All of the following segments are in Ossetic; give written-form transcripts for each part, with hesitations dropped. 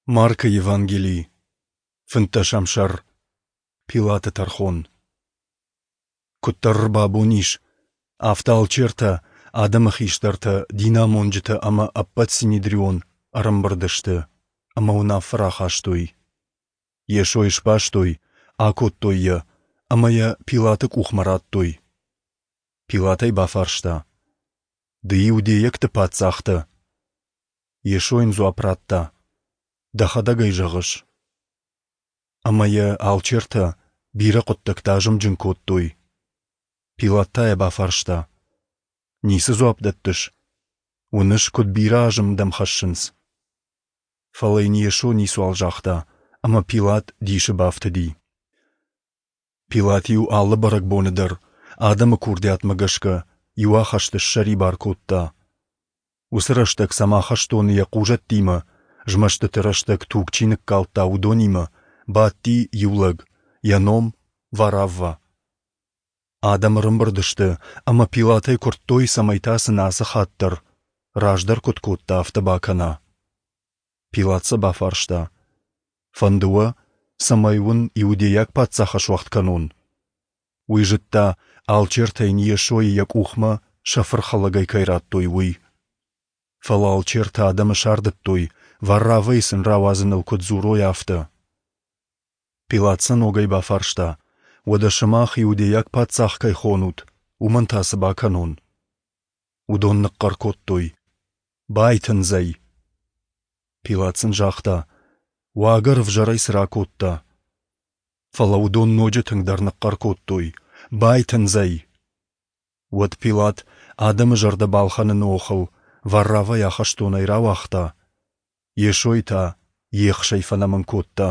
Маркы Евангели, фынддӕсӕм сӕр. Пилаты тӕрхон. Куыддӕр ӕрбабон ис, афтӕ алчертӕ, адӕмы хистӕртӕ, динамонджытӕ ӕмӕ ӕппӕт синедрион ӕрӕмбырд сты ӕмӕ уынаффӕ рахастой. Йесойы сбастой, акодтой йӕ ӕмӕ йӕ Пилаты къухмӕ радтой. Пилат ӕй бафарста: Ды иудейӕгты паддзах дӕ? Йесо йын дзуапп радта: Дӕхӕдӕг ӕй зӕгъыс. Ӕмӕ йӕ алчертӕ бирӕ хъуыддӕгты азымджын кодтой. Пилат та йӕ бафарста: Ницы дзуапп дӕттыс? Уыныс, куыд бирӕ азым дӕм хӕссынц? Фӕлӕ йын Йесо ницуал загъта, ӕмӕ Пилат дисы бафтыди. Пилат-иу алы бӕрӕгбоны дӕр, адӕмы курдиатмӕ гӕсгӕ, иу ахӕсты ссӕрибар кодта. Уыцы рӕстӕг сӕм ахӕстоны йӕ хъузӕттимӕ, змӕстыты рӕстӕг туг чи ныккалдта, уыдонимӕ, бадти иу лӕг, йӕ ном Вараввӕ. Адӕм ӕрӕмбырд сты ӕмӕ Пилатӕй куырдтой, цӕмӕй та сын ацы хатт дӕр, раздӕр куыд кодта, афтӕ бакӕна. Пилат сӕ бафарста: Фӕнды уӕ, цӕмӕй уын иудейаг паддзах ӕсуӕгъд кӕнон? Уый зыдта, алчертӕ йын Йесойы йӕ къухмӕ сӕ фырхӕлӕгӕй кӕй радтой, уый. Фӕлӕ алчертӕ адӕмы сардыдтой, Варравӕйы сын рауадзыныл куыд дзурой, афтӕ. Пилат сӕ ногӕй бафарста: Уӕдӕ сымах иудейаг паддзах кӕй хонут, уымӕн та цы бакӕнон? Уыдон ныхъхъӕр кодтой: Байтындз ӕй! Пилат сын загъта: Уагӕр ӕвзӕрӕй цы ракодта? Фӕлӕ уыдон ноджы тынгдӕр ныхъхъӕр кодтой: Байтындз ӕй! Уӕд Пилат адӕмы зӕрдӕ балхӕныны охыл Варравӕйы ахӕстонӕй рауагъта, Йесойы та ехсӕй фӕнӕмын кодта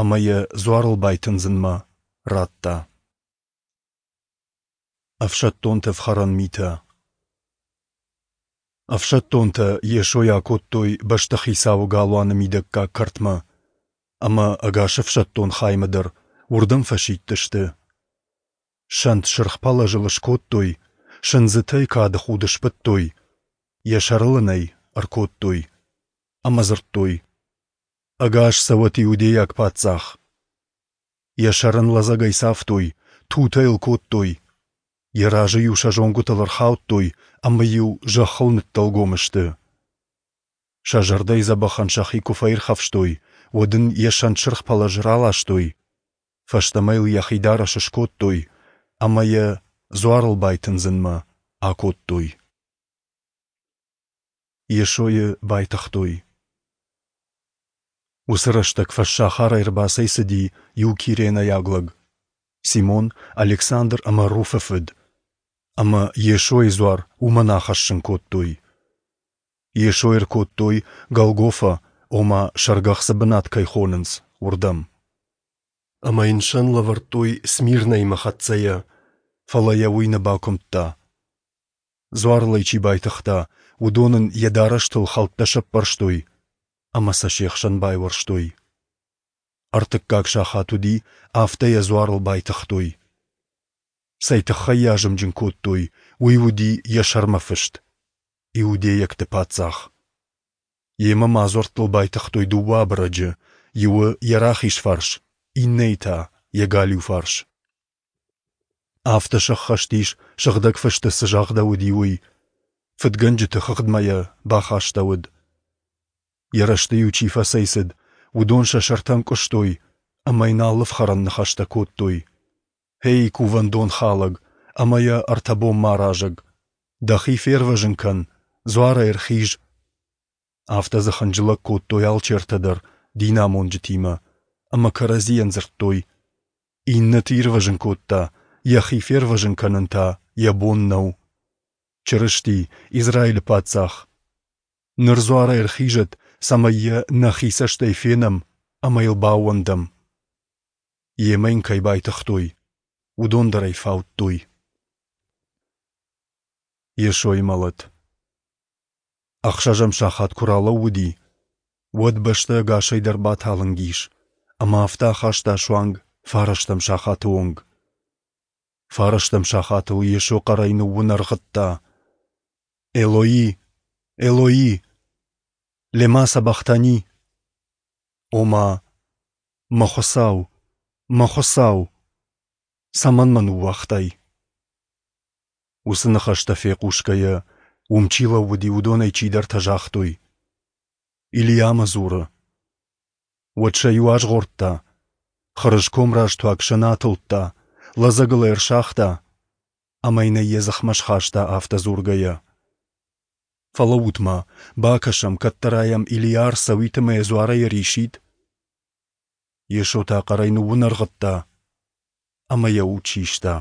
ӕмӕ йӕ дзуарыл байтындзынмӕ радта. Ӕфсӕддонты ӕфхӕрӕн митӕ. Ӕфсӕддонтӕ Йесойы акодтой бӕстыхицауы галуаны мидӕггаг кӕртмӕ, ӕмӕ ӕгас ӕфсӕддон хаймӕ дӕр уырдӕм фӕсидтысты. Сӕнт сырх пӕлӕзыл скодтой, сындзытӕй кады худ сбыдтой, йӕ сӕрыл ын ӕй ӕркодтой ӕмӕ дзырдтой: Ӕгас цӕуӕт иудейаг паддзах! Йӕ сӕр ын лӕдзӕгӕй цавтой, тутӕ йыл кодтой. Йӕ разы-иу сӕ зонгуытыл ӕрхаудтой ӕмӕ-иу зӕххыл ныддӕлгом сты. Сӕ зӕрдӕйы дзӕбӕхӕн сӕхи куы фӕирхӕфстой, уӕд ын йӕ сӕнтсырх пӕлӕз раластой, фӕстӕмӕ йыл йӕхи дарӕс скодтой ӕмӕ йӕ дзуарыл байтындзынмӕ акодтой. Йесойы байтыгътой. Уыцы рӕстӕг фӕссахарӕй ӕрбацӕйцыди иу киренӕйаг лӕг, Симон, Александр ӕмӕ Руфы фыд, ӕмӕ Йесойы дзуар уымӕн ахӕссын кодтой. Йесойы ӕркодтой Голгофа, ома сӕргӕхцы бынат кӕй хонынц, уырдӕм. Ӕмӕ йын сӕн лӕвӕрдтой Смирнӕимӕ хӕццӕйӕ, фӕлӕ йӕ уый нӕ бакуымдта. Дзуарыл ӕй чи байтыгъта, уыдон ын йӕ дарӕстыл хӕлттӕ сӕппӕрстой ӕмӕ сӕ се хсӕн байуӕрстой. Ӕртыккаг сахат уыди, афтӕ йӕ дзуарыл байтыгътой. Цӕй тыххӕй йӕ азымджын кодтой, уый уыди йӕ сӕрмӕ фыст: Иудейӕгты паддзах. Йемӕ ма дзуӕрттыл байтыгътой дыууӕ абырӕджы, иуы йӕ рахиз фарс, иннӕйы та йӕ галиу фарс. Афтӕ сӕххӕст ис, Сыгъдӕг Фысты цы загъдӕуыди, уый: фыдгӕнджыты хыгъдмӕ йӕ бахастӕуыд. Йӕ рӕзты-иу чи фӕцӕйцыд, уыдон сӕ сӕртӕ ӕнкъуыстой ӕмӕ йын алы ӕфхӕрӕн ныхӕстӕ кодтой. Эй, кувӕндон халӕг ӕмӕ йӕ ӕртӕ бонмӕ аразӕг! Дӕхи фервӕзын кӕн, дзуарӕй ӕрхиз! Афтӕ дзы хынджылӕг кодтой алчертӕ дӕр динамонджытимӕ ӕмӕ кӕрӕдзийӕн дзырдтой: Иннӕты ирвӕзын кодта, йӕхи фервӕзын кӕнын та йӕ бон нӕу. Чырысти, Израилы паддзах! Ныр дзуарӕй ӕрхизӕд, цӕмӕй йӕ нӕхи цӕстӕй фенӕм ӕмӕ йыл баууӕндӕм. Йемӕ йын кӕй байтыгътой, уыдон дӕр ӕй фаудтой. Йесойы мӕлӕт. Ӕхсӕзӕм сахат куы ралӕууыди, уӕд бӕстӕ ӕгасӕй дӕр баталынг ис, ӕмӕ афтӕ ахаста суанг фарӕстӕм сахаты онг. Фарӕстӕм сахатыл Йесо хъӕрӕй ныууынӕргъыдта: Элои, Элои, лема сабахтани? Ома, мӕ Хуыцау, мӕ Хуыцау, цӕмӕн мӕ ныууагътай? Уыцы ныхӕстӕ фехъусгӕйӕ, уым чи лӕууыди, уыдонӕй чидӕртӕ загътой: Илийамӕ дзуры. Уӕд сӕ иу азгъордта, хырыз комрӕзтуаг сӕн атылдта, лӕдзӕгыл ӕй ӕрсагъта ӕмӕ йын ӕй йӕ дзыхмӕ схаста, афтӕ дзургӕйӕ: Фӕлӕуут-ма, бакӕсӕм, кӕддӕра йӕм Илийа ӕрцӕуид ӕмӕ йӕ дзуарӕй ӕрисид. Йесо та хъӕрӕй ныууынӕргъыдта ӕмӕ йӕ уд систа.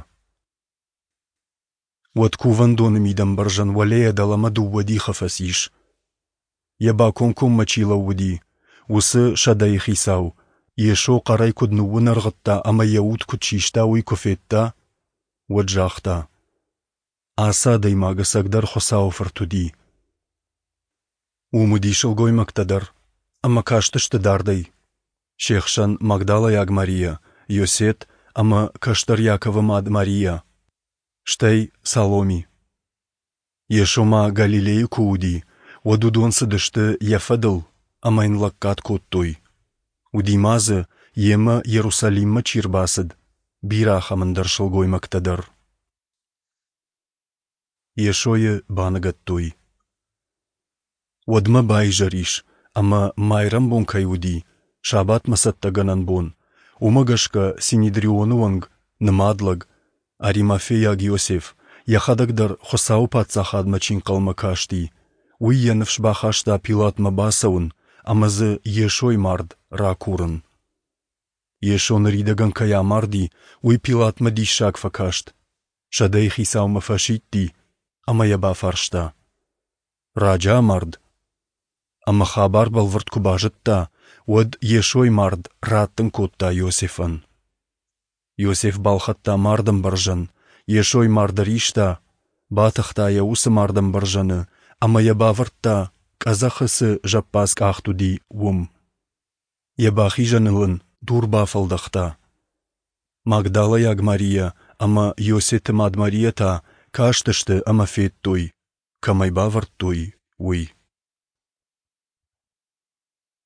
Уӕд кувӕндоны мидӕмбӕрзӕн уӕлейӕ дӕлӕмӕ дыууӕ дихы фӕцис. Йӕ бакомкоммӕ чи лӕууыди, уыцы сӕдӕйыхицау, Йесо хъӕрӕй куыд ныууынӕргъыдта ӕмӕ йӕ уд куыд систа, уый куы федта, уӕд загъта: Ацы адӕймаг ӕцӕгдӕр Хуыцауы Фырт уыди. Уым уыди сылгоймӕгтӕ дӕр, ӕмӕ кастысты дардӕй. Се хсӕн Магдалӕйаг Марийӕ, Иосет ӕмӕ кӕстӕр Иаковы мад Марийӕ, стӕй Саломи. Йесо ма Галилейы куы уыди, уӕд уыдон цыдысты йӕ фӕдыл ӕмӕ йын лӕггад кодтой. Уыди ма дзы, йемӕ Иерусалиммӕ чи рбацыд, бирӕ ахӕм ӕндӕр сылгоймӕгтӕ дӕр. Йесойы баныгӕдтой. Уӕдмӕ баизӕр ис, ӕмӕ майрӕмбон кӕй уыди, сабатмӕ цӕттӕгӕнӕн бон, уымӕ гӕсгӕ Синедрионы уӕнг, нымад лӕг, Аримафейаг Иосиф, йӕхӕдӕг дӕр Хуыцауы Паддзахадмӕ чи нхъӕлмӕ касти, уый йӕ ныфс бахаста Пилатмӕ бацӕуын ӕмӕ дзы Йесойы мард ракурын. Йесо ныридӕгӕн кӕй амарди, уый Пилатмӕ диссаг фӕкаст. Сӕдӕйы хицаумӕ фӕсидти ӕмӕ йӕ бафарста: Раджы амард? Ӕмӕ хабар бӕлвырд куы базыдта, уӕд Йесойы мард раттын кодта Иосифӕн. Иосиф балхӕдта мардӕмбӕрзӕн, Йесойы мард ӕриста, батыхта йӕ уыцы мардӕмбӕрзӕны ӕмӕ йӕ бавӕрдта, къӕдзӕхы цы зӕппадз къахт уыди, уым. Йӕ бахизӕныл ын дур бафӕлдӕхта. Магдалӕйаг Марийӕ ӕмӕ Иосеты мад Марийӕ та кастысты ӕмӕ федтой, кӕм ӕй бавӕрдтой, уый.